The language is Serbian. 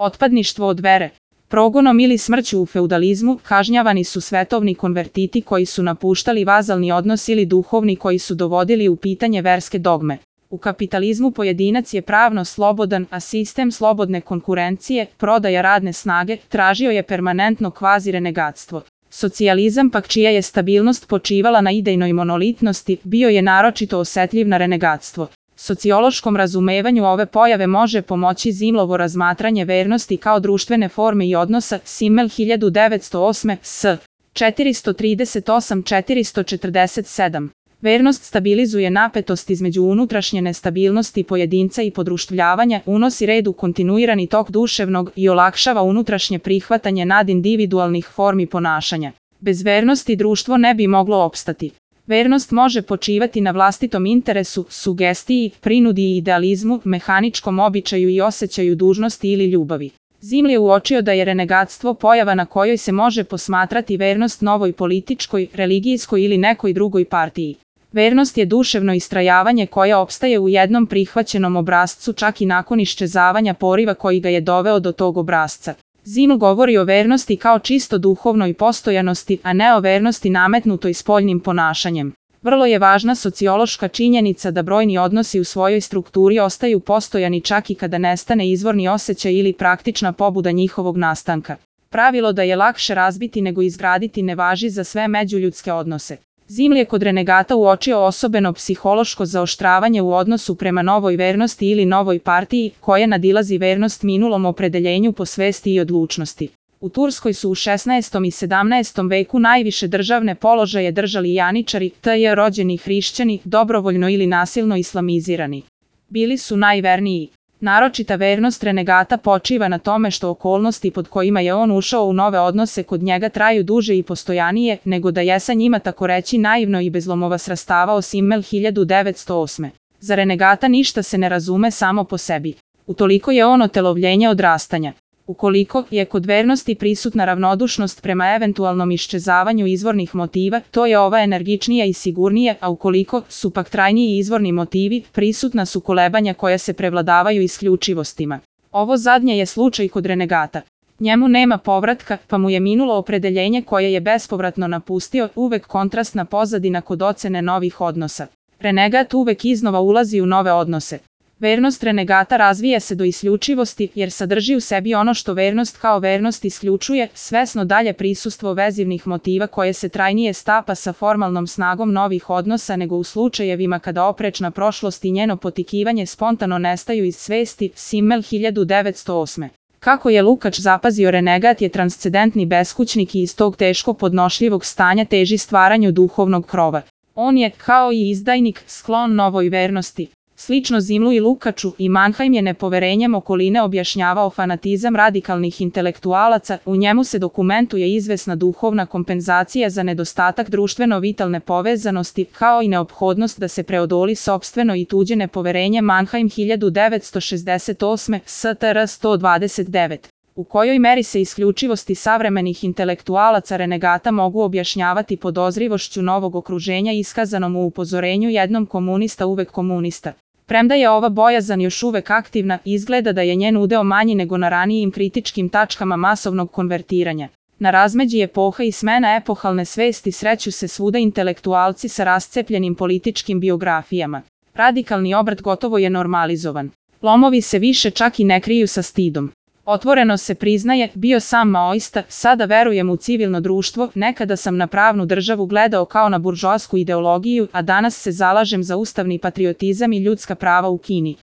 Otpadništvo od vere. Progonom ili smrću u feudalizmu kažnjavani su svetovni konvertiti koji su napuštali vazalni odnos ili duhovni koji su dovodili u pitanje verske dogme. U kapitalizmu pojedinac je pravno slobodan, a sistem slobodne konkurencije, prodaja radne snage, tražio je permanentno kvazi-renegatstvo. Socijalizam pak, čija je stabilnost počivala na idejnoj monolitnosti, bio je naročito osetljiv na renegatstvo. Sociološkom razumevanju ove pojave može pomoći Zimlovo razmatranje vernosti kao društvene forme i odnosa, Simmel 1908, s. 438-447. Vernost stabilizuje napetost između unutrašnje nestabilnosti pojedinca i podruštvljavanja, unosi red u kontinuirani tok duševnog i olakšava unutrašnje prihvatanje nadindividualnih formi ponašanja. Bez vernosti društvo ne bi moglo opstati. Vernost može počivati na vlastitom interesu, sugestiji, prinudi i idealizmu, mehaničkom običaju i osjećaju dužnosti ili ljubavi. Ziml je uočio da je renegatstvo pojava na kojoj se može posmatrati vernost novoj političkoj, religijskoj ili nekoj drugoj partiji. Vernost je duševno istrajavanje koje opstaje u jednom prihvaćenom obrascu čak i nakon iščezavanja poriva koji ga je doveo do tog obrasca. Ziml govori o vernosti kao čisto duhovnoj postojanosti, a ne o vernosti nametnutoj spoljnim ponašanjem. Vrlo je važna sociološka činjenica da brojni odnosi u svojoj strukturi ostaju postojani čak i kada nestane izvorni osjećaj ili praktična pobuda njihovog nastanka. Pravilo da je lakše razbiti nego izgraditi ne važi za sve međuljudske odnose. Ziml je kod renegata uočio osobeno psihološko zaoštravanje u odnosu prema novoj vernosti ili novoj partiji, koja nadilazi vernost minulom opredeljenju po svesti i odlučnosti. U Turskoj su u 16. i 17. veku najviše državne položaje držali janičari, t.j. rođeni hrišćani, dobrovoljno ili nasilno islamizirani. Bili su najverniji. Naročita vernost renegata počiva na tome što okolnosti pod kojima je on ušao u nove odnose kod njega traju duže i postojanije, nego da je sa njima tako reći naivno i bez lomova srastavao Simmel 1908. Za renegata ništa se ne razume samo po sebi. Utoliko je on otelovljenje odrastanja. Ukoliko je kod vernosti prisutna ravnodušnost prema eventualnom iščezavanju izvornih motiva, to je ova energičnija i sigurnije, a ukoliko su pak trajniji izvorni motivi, prisutna su kolebanja koja se prevladavaju isključivostima. Ovo zadnje je slučaj kod renegata. Njemu nema povratka, pa mu je minulo opredeljenje koje je bespovratno napustio, uvek kontrastna pozadina kod ocene novih odnosa. Renegat uvek iznova ulazi u nove odnose. Vernost renegata razvija se do isključivosti jer sadrži u sebi ono što vernost kao vernost isključuje, svesno dalje prisustvo vezivnih motiva koje se trajnije stapa sa formalnom snagom novih odnosa nego u slučajevima kada oprečna prošlost i njeno potikivanje spontano nestaju iz svesti, Simmel 1908. Kako je Lukač zapazio, renegat je transcendentni beskućnik i iz tog teško podnošljivog stanja teži stvaranju duhovnog krova. On je, kao i izdajnik, sklon novoj vernosti. Slično Zimlu i Lukaču, i Mannheim je nepoverenjem okoline objašnjavao fanatizam radikalnih intelektualaca, u njemu se dokumentuje izvesna duhovna kompenzacija za nedostatak društveno vitalne povezanosti, kao i neophodnost da se preodoli sopstveno i tuđe nepoverenje. Mannheim 1968, STR 129. U kojoj meri se isključivosti savremenih intelektualaca renegata mogu objašnjavati podozrivošću novog okruženja iskazanom u upozorenju jednom komunista uvek komunista. Premda je ova bojazan još uvek aktivna, izgleda da je njen udeo manji nego na ranijim kritičkim tačkama masovnog konvertiranja. Na razmeđi epoha i smena epohalne svesti sreću se svuda intelektualci sa rascepljenim političkim biografijama. Radikalni obrat gotovo je normalizovan. Lomovi se više čak i ne kriju sa stidom. Otvoreno se priznaje, bio sam maoista, sada verujem u civilno društvo, nekada sam na pravnu državu gledao kao na buržoasku ideologiju, a danas se zalažem za ustavni patriotizam i ljudska prava u Kini.